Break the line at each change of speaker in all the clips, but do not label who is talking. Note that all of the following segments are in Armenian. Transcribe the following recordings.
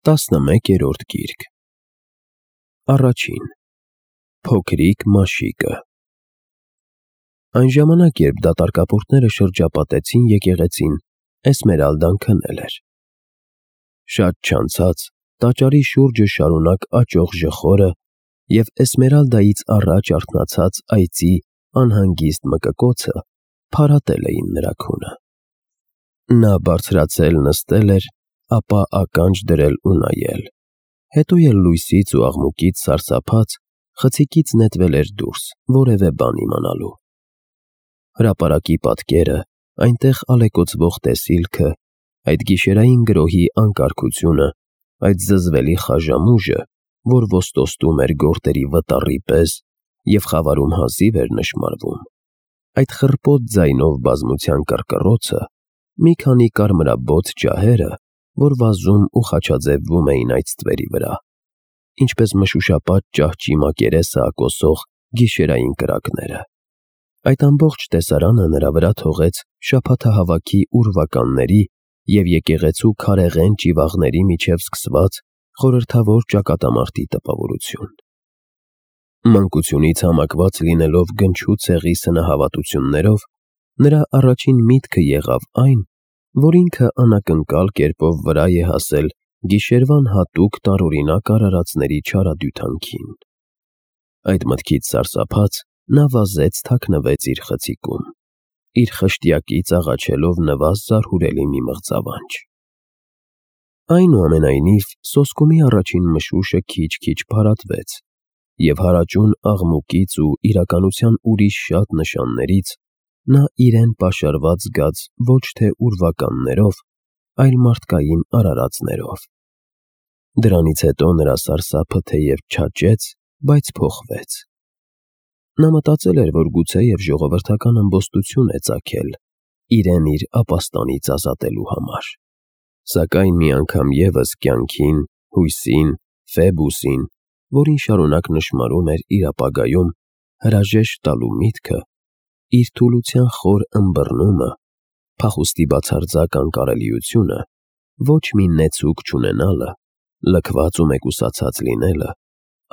11-րդ գիրք։ Առաջին Փոքրիկ Մաշիկը։ Այն ժամանակ, երբ դատարկապորտները շրջապատեցին եկեղեցին, Էսմերալդան քնել էր։ Շատ չանցած տաճարի շուրջը շարունակ աճող ժխորը և Էսմերալդայից առաջ արթնացած այծի անհանգիստ մկկոցը փարատել էին նրա քունը։ Նա բարձրացել նստել էր, ապա ականջ դրել ու նայել, հետո էլ լույսից ու աղմուկից սարսափած խցիկից նետվել էր դուրս, որևէ բան իմանալու։ Հրապարակի պատկերը, այնտեղ ալեկոծվող տեսիլքը, այդ գիշերային գրոհի անկարգությունը, այդ զզվելի խաժամուժը, որ ոստոստում էր գորտերի վտառի պես և խավարում հազիվ էր նշմարվում, այդ խռպոտ ձայնով բազմության կռկռոցը, մի քանի կարմրաբոց ջահերը, որ վազում ու խաչաձևվում էին այդ ստվերի վրա, ինչպես մշուշապատ ճահճի մակերեսը ակոսող գիշերային կրակները։ Այդ ամբողջ տեսարանը նրա վրա թողեց շաբաթահավաքի ուրվականների և եկեղեցու քարեղեն ճիվաղների միջև սկսված խորհրդավոր ճակատամարտի տպավորություն։ Մանկությունից համակված լինելով գնչու ցեղի սնահավատություններով, նրա առաջին միտքը եղավ այն, որ ինքը անակնկալ կերպով վրա է հասել գիշերվան հատուկ տարօրինակ արարածների չարադյութանքին։ Այդ մտքից սարսափած, նա վազեց թաքնվեց իր խցիկում, իր խշտյակից աղաչելով նվազ զարհուրելի մի մղձավանջ։ Այնուամենայնիվ, սոսկումի առաջին մշուշը քիչ-քիչ փարատվեց, և հարաճուն աղմուկից ու իրականության ուրիշ շատ նշաններից նա իրեն պաշարված զգաց ոչ թե ուրվականներով, այլ մարդկային արարածներով։ Դրանից հետո նրա սարսափը թեև չաճեց, բայց փոխվեց։ Նա մտածել էր, որ գուցեև ժողովրդական ըմբոստություն է ծագել իրեն իր ապաստանից ազատելու համար, սակայն մի անգամ ևս կյանքին, հույսին, Ֆեբուսին, որին շարունակ նշմարում էր իր ապագայում հրաժեշտ տալու միտքը, իր թուլության խոր ըմբռնումը, փախուստի բացարձակ անկարելիությունը, ոչ մի նեցուկ չունենալը, լքված ու մեկուսացած լինելը,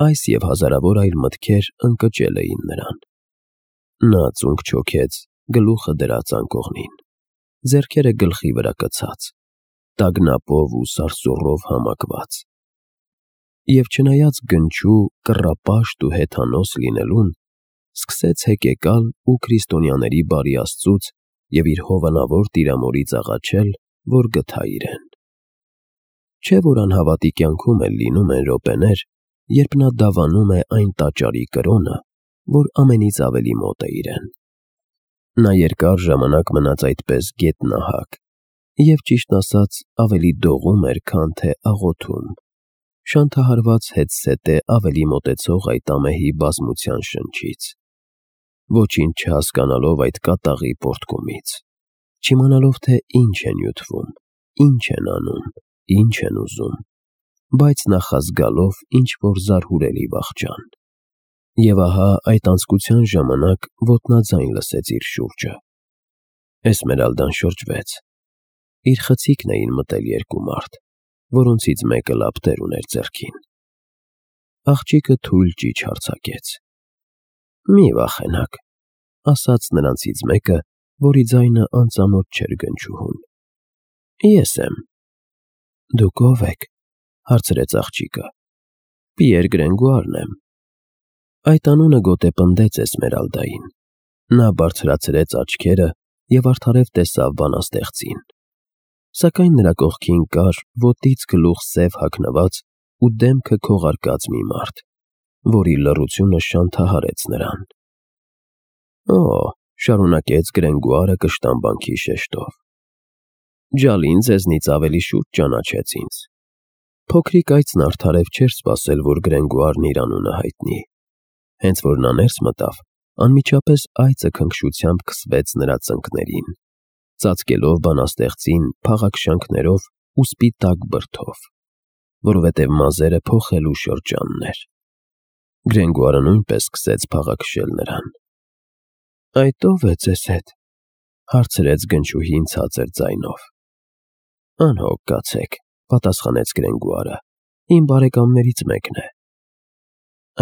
այս և հազարավոր այլ մտքեր ընկճել էին նրան։ Նա ծունկ չոքեց, գլուխը դրած անկողնին, ձեռքերը գլխի վրա կցած, տագնապով ու սարսուռով համակված։ Եվ չնայած գնչու, կռապաշտ ու հեթանոս լինելուն, սկսեց հեկեկալ ու քրիստոնյաների բարի Աստծուց և իր հովանավոր Տիրամորից աղաչել, որ գթա իրեն։ Չէ՞ որ անհավատի կյանքում էլ լինում են րոպեներ, երբ նա դավանում է այն տաճարի կրոնը, որ ամենից ավելի մոտ է իրեն։ Նա երկար ժամանակ մնաց այդպես գետնահակ և, ճիշտն ասած, ավելի դողում էր, քան թե աղոթում, շանթահարված հետզհետե ավելի մոտեցող այդ ամեհի բազմության շնչից, ոչինչ չհասկանալով այդ կատաղի պոռթկումից, չիմանալով, թե ինչ է նյութվում, ինչ են անում, ինչ են ուզում, բայց նախազգալով ինչ-որ զարհուրելի վախճան։ Եվ ահա այդ անձկության ժամանակ ոտնաձայն լսեց իր շուրջը։ Էսմերալդան շրջվեց։ Իր խցիկն էին մտել երկու մարդ, որոնցից մեկը լապտեր ուներ ձեռքին։ Աղջիկը թույլ ճիչ արձակեց։ «Մի վախենաք», ասաց նրանցից մեկը, որի ձայնը անծանոթ չէր գնչուհուն։ «Ես եմ»։ «Դուք ո՞վ եք», հարցրեց աղջիկը։ «Պիեր Գրենգուարն եմ»։ Այդ անունը գոտեպնդեց Էսմերալդային։ Նա բարձրացրեց աչքերը և արդարև տեսավ բանաստեղծին։ Սակայն նրա կողքին կար ոտից գլուխ սև հագնված ու դեմքը քողարկած մի մարդ, որի լռությունը շանթահարեց նրան։ «Օ», շարունակեց Գրենգուարը կշտամբանքի շեշտով, «Ջալին ձեզնից ավելի շուտ ճանաչեց ինձ»։ Փոքրիկ այծն արդարև չէր սպասել, որ Գրենգուարն իր անունը հայտնի։ Հենց որ նա ներս մտավ, անմիջապես այծը քնքշությամբ քսվեց նրա ծնկներին, ծածկելով բանաստեղծին փաղաքշանքներով ու սպիտակ բրդով, որովհետև մազերը փոխելու շրջանն էր։ Գրենգուարը նույնպես սկսեց փաղաքշել նրան։ «Այդ ո՞վ է ձեզ հետ», հարցրեց գնչուհին ցածր ձայնով։ «Անհոգ կացեք», պատասխանեց Գրենգուարը, իմ բարեկամներից մեկն է։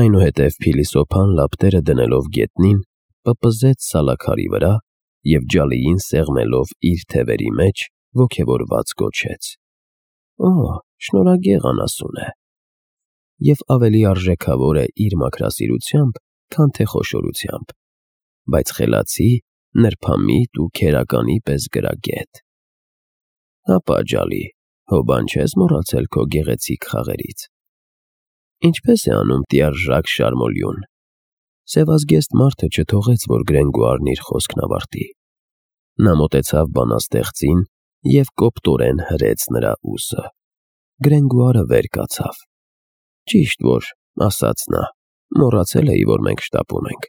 Այնուհետև փիլիսոփան լապտերը դնելով գետնին, պպզեց սալաքարի վրա և ջալիին սեղմելով իր թևերի մեջ ոգևորված գոչեց. «Օ, շնորհագեղ անասուն է» և ավելի արժեքավոր է իր մաքրասիրությամբ, քան թե խոշորությամբ, բայց խելացի, նրբամիտ ու քերականի պես գրագետ։ Հապա ջալի, հո բան չես մոռացել քո գեղեցիկ խաղերից։ Ինչպե՞ս է անում տիարժակ Շարմոլյուն։ Սևազգեստ մարդը չթողեց, որ Գրենգուարն իր խոսքն ավարտի։ Նա մոտեցավ բանաստեղծին և կոպտորեն հրեց նրա ուսը։ Գրենգուարը վեր կացավ։ Ճիշտ որ, ասաց նա, մոռացել էի, որ մենք շտապում ենք,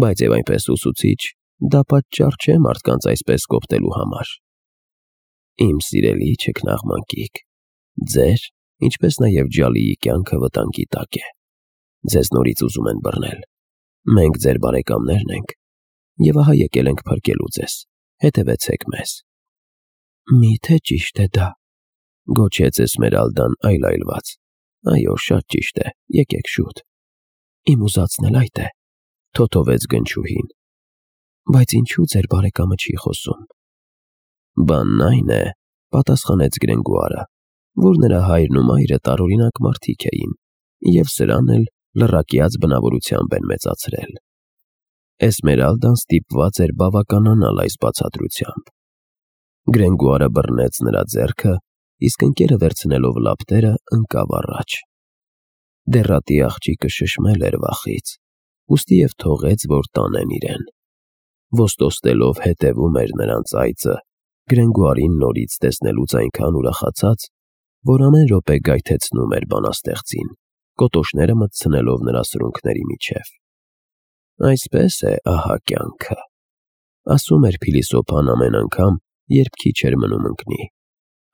բայց և այնպես ուսուցիչ, դա պատճառ չէ մարդկանց այսպես կոպտելու համար։ Իմ սիրելի չքնաղ մանկիկ, ձեր, ինչպես նաև ջալիի կյանքը վտանգի տակ է։ Ձեզ նորից ուզում են բռնել։ Մենք ձեր բարեկամներն ենք, և ահա եկել ենք փրկելու ձեզ, հետևեցեք մեզ։ Մի՞թե ճիշտ է դա, գոչեց Էսմերալդան այլայլված։ Այո, շատ ճիշտ է, եկեք շուտ։ Իմ ուզածն էլ այդ է, թոթովեց գնչուհին։ Բայց ինչու ձեր բարեկամը չի խոսում։ Բանն այն է, պատասխանեց Գրենգուարը, որ նրա հայրն ու մայրը տարօրինակ մարդիկ էին, և սրան էլ լռակյաց բնավորությամբ են մեծացրել։ Էսմերալդան ստիպված էր բավականանալ այս բացատրությամբ։ Գրենգուարը բռնեց նրա ձեռքը, իսկ ընկերը վերցնելով լապտերը ընկավ առաջ։ Դեռատի աղջիկը շշմել էր վախից, ուստի և թողեց, որ տանեն իրեն։ Ոստոստելով հետևում էր նրանց այծը, Գրենգուարին նորից տեսնելուց այնքան ուրախացած, որ ամեն րոպե գայթեցնում էր բանաստեղծին, կոտոշները մտցնելով նրա սրունքների միջև։ Այսպես է ահա կյանքը, ասում էր փիլիսոփան ամեն անգամ, երբ քիչ էր մնում ընկնի։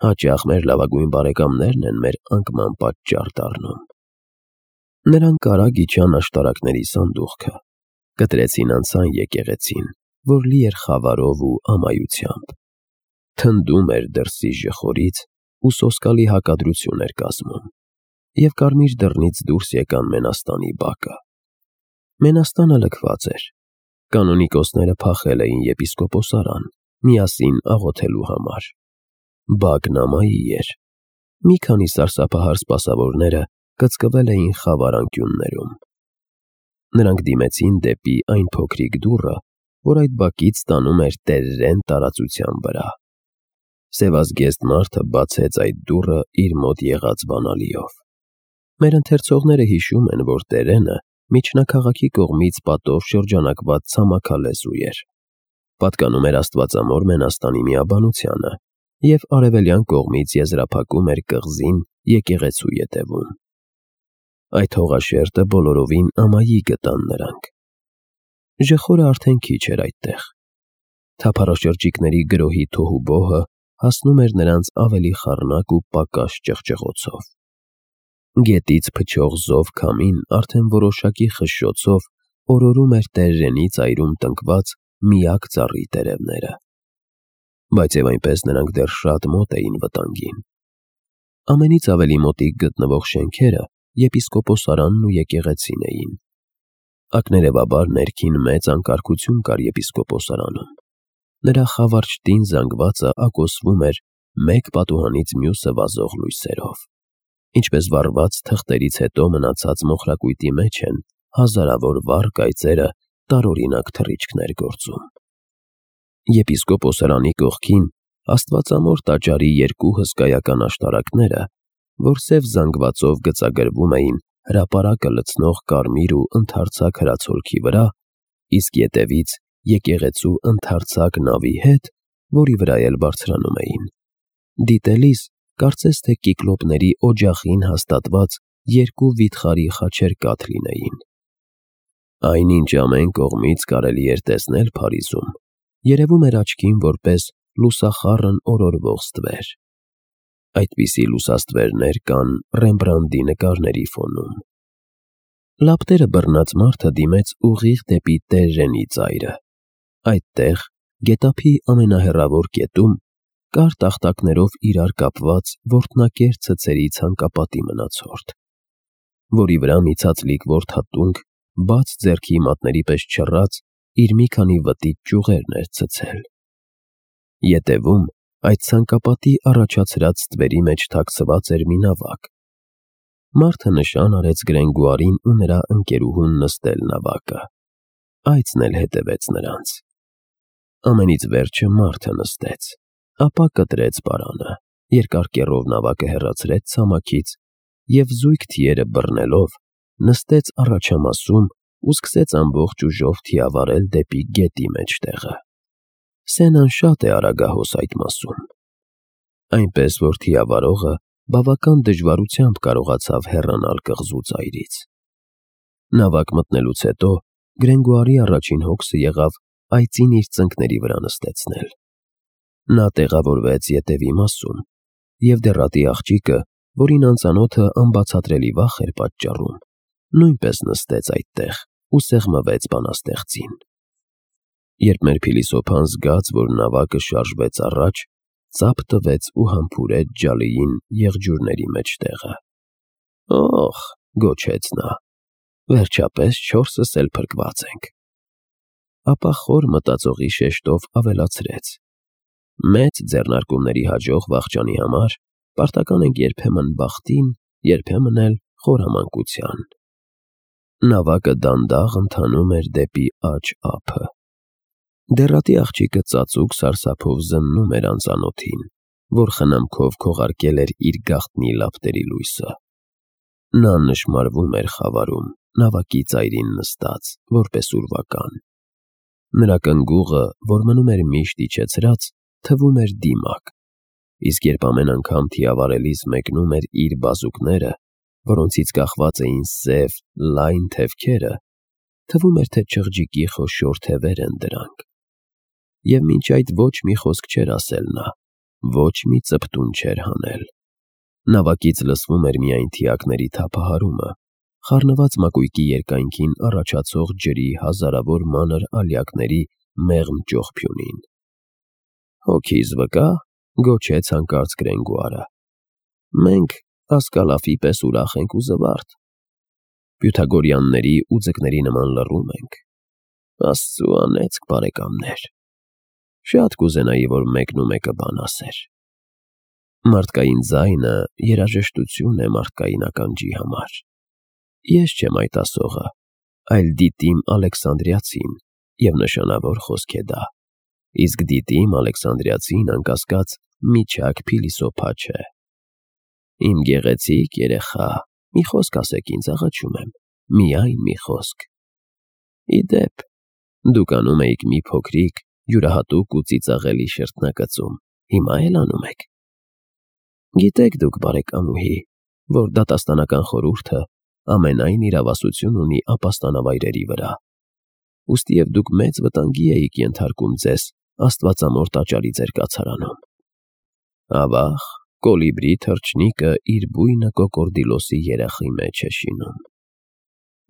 Հաճախ մեր լավագույն բարեկամներն են մեր անկման պատճառ դառնում։ Նրանք արագ իջան աշտարակների սանդուղքը, կտրեցին անցան եկեղեցին, որ լի էր խավարով ու ամայությամբ։ Թնդում էր դրսի ժխորից ու սոսկալի հակադրություն էր կազմում, և կարմիր դռնից դուրս եկան Մենաստանի բակը։ Մենաստանը լքված էր։ Կանոնիկոսները փախել էին եպիսկոպոսարան, միասին աղոթելու համար։ Բակն ամայի էր։ Մի քանի սարսափահար սպասավորները կծկվել էին խավար անկյուններում։ Նրանք դիմեցին դեպի այն փոքրիկ դուռը, որ այդ բակից տանում էր տերերեն տարածության վրա։ Սևազգեստ մարդը բացեց այդ դուռը իր մոտ եղած բանալիով։ Մեր ընթերցողները հիշում են, որ տերենը միջնակաղաքի կողմից պատով շրջանակված ցամաքալեզու էր։ Պատկանում էր աստվածամոր Մենաստանի միաբանությանը և արևելյան կողմից եզրափակում էր կղզին եկեղեցու ետևում։ Այդ հողաշերտը բոլորովին ամայի գտան նրանք։ Ժխորը արդեն քիչ էր այդտեղ։ Թափառաշրջիկների գրոհի թոհուբոհը հասնում էր նրանց ավելի խառնակ ու պակաս ճղճղոցով։ Գետից փչող զով քամին արդեն որոշակի խշշոցով օրորում էր տերերենի ծայրում տնկված միակ ծառի տերևները։ Բայց և այնպես նրանք դեռ շատ մոտ էին վտանգին։ Ամենից ավելի մոտիկ գտնվող շենքերը եպիսկոպոսարանն ու եկեղեցին էին։ Ակներևաբար ներքին մեծ անկարգություն կար եպիսկոպոսարանում։ Նրա խավար շտին զանգվածը ակոսվում էր մեկ պատուհանից մյուսը վազող լույսերով։ Ինչպես վառված թղթերից հետո մնացած մոխրակույտի մեջ են հազարավոր վառ կայծերը տարօրինակ թռիչքներ գործում։ Եպիսկոպոսարանի կողքին աստվածամոր տաճարի երկու հսկայական աշտարակները, որ սև զանգվածով գծագրվում էին հրապարակը լցնող կարմիր ու ընդարձակ հրացոլքի վրա, իսկ ետևից եկեղեցու ընդարձակ նավի հետ, որի վրա էլ բարձրանում էին։ Դիտելիս կարծես թե կիկլոպների օջախին հաստատված երկու վիթխարի խաչերկաթ լինեին։ Այնինչ ամեն կողմից կարելի էր տեսնել Փարիզում, երևում էր աչքին որպես լուսախառն օրորվող ստվեր։ Այդպիսի լուսաստվերներ կան Ռեմբրանդի նկարների ֆոնում։ Լապտերը բռնած մարդը դիմեց ուղիղ դեպի տերերենի ծայրը։ Այդտեղ, գետափի ամենահեռավոր կետում, երկար տախտակներով իրար կապված որտնակեր ցցերի ցանկապատի մնացորդ, որի վրա մի ցածլիկ որդատունք, բաց ձեռքի մատների պես չռած, իր մի քանի վտիտ ճյուղերն էր ցցել։ Ետևում այդ ցանկապատի առաջացրած ստվերի մեջ թաքցված էր մի նավակ։ Մարդը նշան արեց Գրենգուարին ու նրա ընկերուհուն նստել նավակը։ Այծն էլ հետևեց նրանց։ Ամենից վերջը մարդը նստեց, ապա կտրեց պարանը, երկար կեռով նավակը հեռացրեց ցամաքից և զույգ թիերը բռնելով նստեց առաջամասում ու սկսեց ամբողջ ուժով թիավարել դեպի գետի մեջտեղը։ Սենան շատ է արագահոս այդ մասում, այնպես որ թիավարողը բավական դժվարությամբ կարողացավ հեռանալ կղզու ծայրից։ Նավակ մտնելուց հետո Գրենգուարի առաջին հոգսը եղավ այծին իր ծնկների վրա նստեցնել։ Նա տեղավորվեց ետևի մասում, և դեռատի աղջիկը, որին անծանոթը անբացատրելի վախ էր պատճառում, նույնպես նստեց այդտեղ ու սեղմվեց բանաստեղծին։ Երբ մեր փիլիսոփան զգաց, որ նավակը շարժվեց առաջ, ծափ տվեց ու համբուրեց ջալիին եղջյուրների մեջտեղը։ «Օհ», գոչեց նա, «վերջապես չորսս էլ փրկված ենք»։ Ապա խոր մտածողի շեշտով ավելացրեց. «Մեծ ձեռնարկումների հաջող վախճանի համար պարտական ենք երբեմն բախտին, երբեմն էլ խորամանկության»։ Նավակը դանդաղ ընթանում էր դեպի աջ ափը։ Դեռատի աղջիկը ծածուկ սարսափով զննում էր անծանոթին, որ խնամքով քողարկել էր իր գաղտնի լապտերի լույսը։ Նա նշմարվում էր խավարում, նավակի ծայրին նստած, որպես ուրվական։ Նրա կնգուղը, որ մնում էր միշտ իջեցրած, թվում էր դիմակ, իսկ երբ ամեն անգամ թիավարելիս մեկնում էր իր բազուկները, որոնցից կախված էին սև, լայն թևքերը, թվում էր, թե չղջիկի խոշոր թևեր են դրանք։ Եվ մինչ այդ ոչ մի խոսք չէր ասել նա, ոչ մի ծպտուն չէր հանել։ Նավակից լսվում էր միայն թիակների թափահարումը, խառնված մակույկի երկայնքին առաջացող ջրի հազարավոր մանր ալյակների մեղմ ճողփյունին։ «Հոգիս վկա», գոչեց հանկարծ Գրենգուարը, «մենք ասկալաֆի պես ուրախ ենք ու զվարթ։ Պյութագորյանների ու ձկների նման լռում ենք։ Աստծու անեծք, բարեկամներ։ Շատ կուզենայի, որ մեկն ու մեկը բան ասեր։ Մարդկային ձայնը երաժշտություն է մարդկային ականջի համար։ Ես չեմ այդ ասողը, այլ Դիտիմ Ալեքսանդրիացին, և նշանավոր խոսք է դա, իսկ Դիտիմ Ալեքսանդրիացին, անկասկած, միջակ փիլիսոփա չէ։ Իմ գեղեցիկ երեխա, մի խոսք ասեք ինձ, աղաչում եմ, միայն մի խոսք։ Ի դեպ, դուք անում էիք մի փոքրիկ, յուրահատուկ ու ծիծաղելի շրթնակծում, հիմա էլ անում եք։ Գիտեք դուք, բարեկամուհի, որ դատաստանական խորհուրդը ամենայն իրավասություն ունի ապաստանավայրերի վրա, ուստիև դուք մեծ վտանգի էիք ենթարկում ձեզ աստվածամոր տաճարի ձեր կացարանում։ Ավաղ, կոլիբրի թռչնիկը իր բույնը կոկորդիլոսի երախի մեջ է շինում։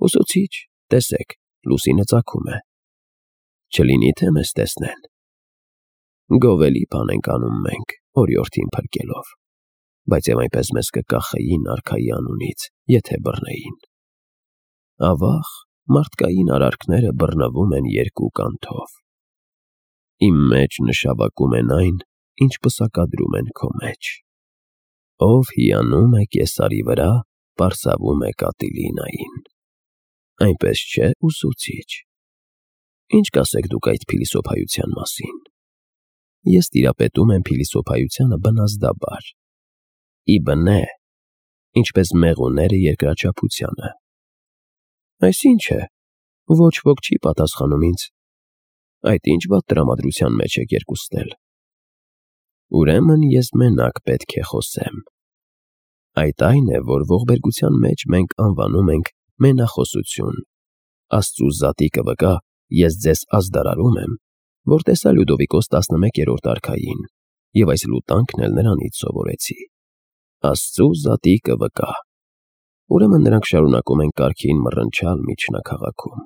Ուսուցիչ, տեսեք, լուսինը ծագում է։ Չլինի թե մեզ տեսնեն։ Գովելի բան ենք անում մենք, օրիորդին փրկելով, բայց և այնպես մեզ կկախեին արքայի անունից, եթե բռնեին։ Ավաղ, մարդկային արարքները բռնվում են երկու կանթով։ Իմ մեջ նշավակում են այն, ինչ պսակադրում են քո մեջ։ Ով հիանում է կեսարի վրա, պարսավում է Կատիլինային։ Այնպես չէ, ուսուցիչ։ Ինչ կասեք դուք այդ փիլիսոփայության մասին։ Ես տիրապետում եմ փիլիսոփայությանը բնազդաբար։ Ի բնե, ինչպես մեղուները երկրաչափությանը։ Այսինչ է, ոչ ոք չի պատասխանում ինձ։ Այդ ինչ վատ տրամադրության մեջ եք երկուստել։ Ուրեմն ես մենակ պետք է խոսեմ։ Այդ այն է, որ ողբերգության մեջ մենք անվանում ենք մենախոսություն։ Աստծու զատիկը վկա, ես ձեզ ազդարարում եմ, որ տեսա Լյուդովիկոս 11-րդ արքային, և այս լուտանքն էլ նրանից սովորեցի։ Աստծու զատիկը վկա։ Ուրեմն նրանք շարունակում են կարգին մռնչալ միջնաքաղաքում։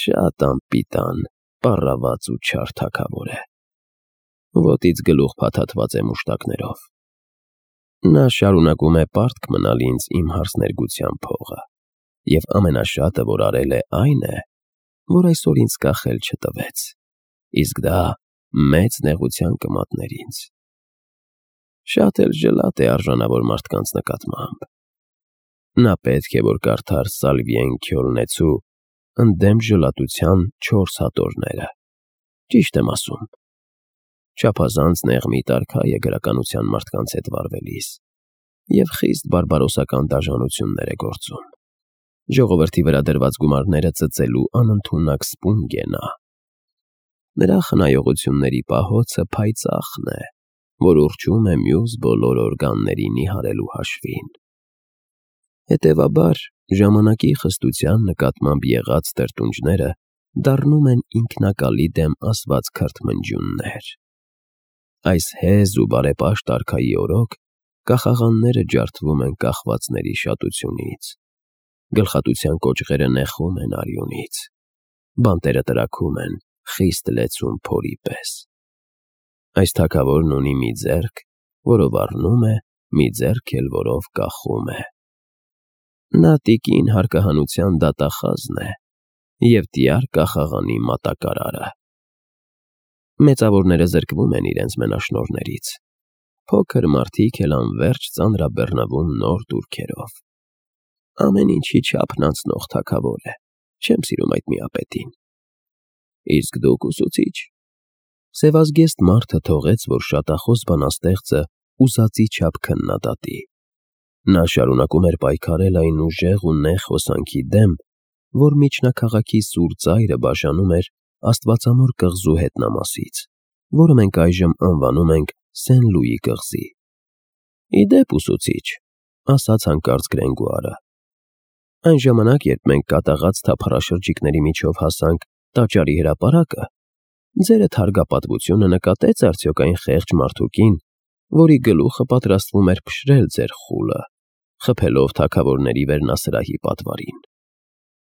Շատ անպիտան, պառաված ու չար թագավոր է։ ոտից գլուխ փաթաթված է մուշտակներով։ Նա շարունակում է պարտք մնալ ինձ իմ հարսներգության փողը, և ամենաշատը, որ արել է, այն է, որ այսօր ինձ կախել չտվեց, իսկ դա մեծ նեղության կմատներ ինձ։ Շատ էլ ջլատ է արժանավոր մարդկանց նկատմամբ։ Նա պետք է, որ կարդար Սալվիեն Քյոլնեցու ընդդեմ ջլատության 4 հատորները։ Ճիշտ եմ ասում։ Չափազանց նեղմի տարքայ է գրականության մարդկանց հետ վարվելիս և խիստ բարբարոսական դաժանություններ է գործում։ Ժողովրդի վրա դրված գումարները ծծելու անընդունակ սպունգ է նա։ Նրա խնայողությունների պահոցը փայծաղն է, որ ուռչում է մյուս բոլոր օրգանների նիհարելու հաշվին։ Հետևաբար, ժամանակի խստության նկատմամբ եղած տրտունջները դառնում են ինքնակալի դեմ ասված քրթմնջյուններ։ Այս հեզ ու բարեպաշտ արքայի օրոք կախաղանները ջարդվում են կախվածների շատությունից, գլխատության կոճղերը նեխում են արյունից, բանտերը տրաքում են խիստ լեցուն փորի պես։ Այս թագավորն ունի մի ձեռք, որով առնում է, մի ձեռք էլ, որով կախում է։ Նա տիկին հարկահանության դատախազն է և տյար կախաղանի մատակարարը։ Մեծավորները զրկվում են իրենց մենաշնորհներից, փոքր մարդիկ էլ անվերջ ծանրաբեռնվում նոր տուրքերով։ Ամեն ինչի չափն անցնող թագավոր է, չեմ սիրում այդ միապետին։ Իսկ դուք ուսուցիչ։ Սևազգեստ մարդը թողեց, որ շատախոս բանաստեղծը ուզածի չափ քննադատի։ Նա շարունակում էր պայքարել այն ուժեղ ու նեղ հոսանքի դեմ, որ միջնաքաղաքի սուր ծայրը բաժանում էր աստվածամոր կղզու հետնամասից, որը մենք այժմ անվանում ենք Սեն-Լուի կղզի։ Ի դեպ, ուսուցիչ, ասաց հանկարծ Գրենգուարը, այն ժամանակ, երբ մենք կատաղած թափառաշրջիկների միջով հասանք տաճարի հրապարակը, ձերդ հարգապատվությունը նկատեց արդյոք այն խեղճ մարդուկին, որի գլուխը պատրաստվում էր փշրել ձեր խուլը, խփելով թագավորների վերնասրահի պատվարին։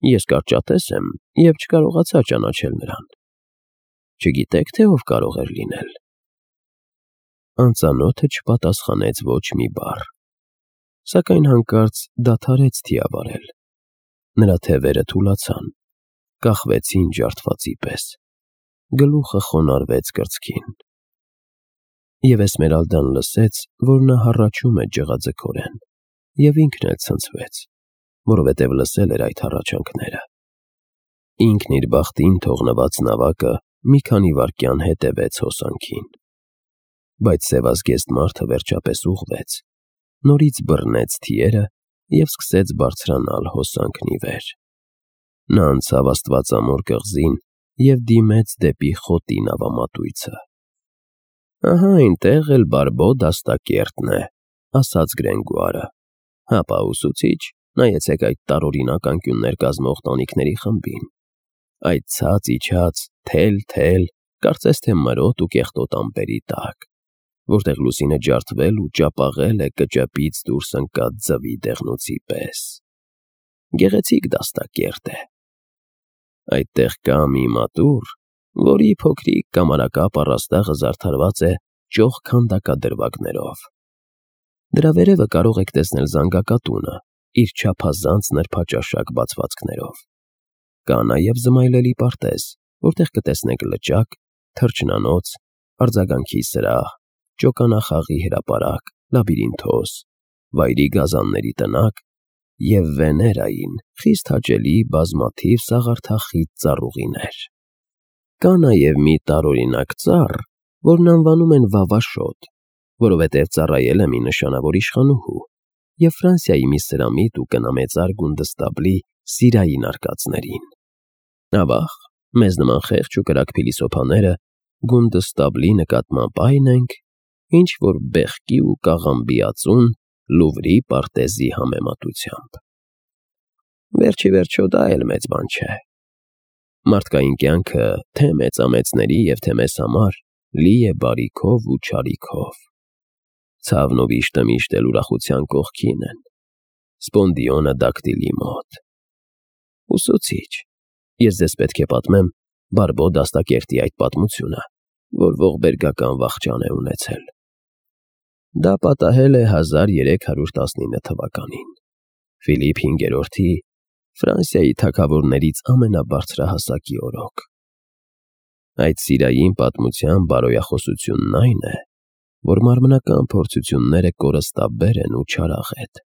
Ես կարճատես եմ և չկարողացա ճանաչել նրան։ Չգիտեք, թե ով կարող էր լինել։ Անծանոթը չպատասխանեց ոչ մի բառ, սակայն հանկարծ դադարեց թիավարել։ Նրա թևերը թուլացան, կախվեցին ջարդվածի պես, գլուխը խոնարհվեց կրծքին։ Եվ Էսմերալդան լսեց, որ նա հառաչում է ջղաձգորեն, և ինքն էլ ցնցվեց, որովհետև լսել էր այդ հառաչանքները։ Ինքն իր բախտին թողնված նավակը մի քանի վայրկյան հետևեց հոսանքին։ Բայց սևազգեստ մարդը վերջապես ուղղվեց, նորից բռնեց թիերը և սկսեց բարձրանալ հոսանքն ի վեր։ Նա անցավ աստվածամոր կղզին և դիմեց դեպի խոտի նավամատույցը։ Ահա այնտեղ էլ Բարբո դաստակերտն է, ասաց Գրենգուարը։ Հապա, ուսուցիչ, նայեցեք այդ տարօրինակ անկյուններ կազմող տանիքների խմբին։ Այդ ցած իջած, թել, կարծես թե մրոտ ու կեղտոտ ամպերի տակ, որտեղ լուսինը ջարդվել ու ճապաղել է կճեպից դուրս ընկած ձվի դեղնոցի պես։ Գեղեցիկ դաստակերտ է։ Այդտեղ կա մի մատուռ, որի փոքրիկ կամարակապ առաստաղը զարդարված է ճոխ քանդակադրվագներով։ Դրա վերևը կարող եք տեսնել զանգակատունը իր չափազանց նրբաճաշակ բացվածքներով։ Կա նաև զմայլելի պարտեզ, որտեղ կտեսնեք լճակ, թռչնանոց, արձագանքի սրահ, ճոկանախաղի հրապարակ, լաբիրինթոս, վայրի գազանների տնակ և Վեներային խիստ հաճելի բազմաթիվ սաղարթախիտ ծառուղիներ։ Կա նաև մի տարօրինակ ծառ, որն անվանում են վավաշոտ, որովհետև ծառայել է մի նշանավոր իշխանուհու և Ֆրանսիայի մի սրամիտ ու կնամեծար գունդստաբլի սիրային արկածներին։ Ավաղ, մեզ նման խեղճ ու կրակ փիլիսոփաները գունդստաբլի նկատմամբ այն ենք, ինչ որ բեղկի ու կաղամբի ածուն Լուվրի պարտեզի համեմատությամբ։ Վերջիվերջո դա էլ մեծ բան չէ։ Մարդկային կյանքը թե մեծամեծների և թե մեզ համար լի է բարիքով ու չարիքով։ Ցավն ու վիշտը միշտ էլ ուրախության կողքին են, սպոնդիոնը դակտիլի մոտ։ Ուսուցիչ, ես ձեզ պետք է պատմեմ Բարբո դաստակերտի այդ պատմությունը, որ ողբերգական վախճան է ունեցել։ Դա պատահել է 1319 թվականին, Ֆիլիպ V-րդի Ֆրանսիայի թագավորներից ամենաբարձրահասակի օրոք։ Այդ սիրային պատմության բարոյախոսությունն այն է, որ մարմնական փորձությունները կորստաբեր են ու չարաղետ։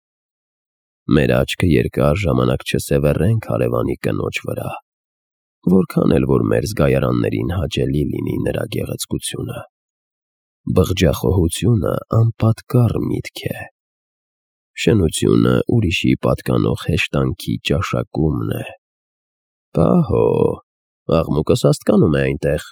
Մեր աչքը երկար ժամանակ չսևեռենք հարևանի կնոջ վրա, որքան էլ որ մեր զգայարաններին հաճելի լինի նրա գեղեցկությունը։ Բղջախոհությունը անպատկառ միտք է։ Շնությունը ուրիշի պատկանող հեշտանքի ճաշակումն է։ Պահո, աղմուկս հասկանում է այնտեղ։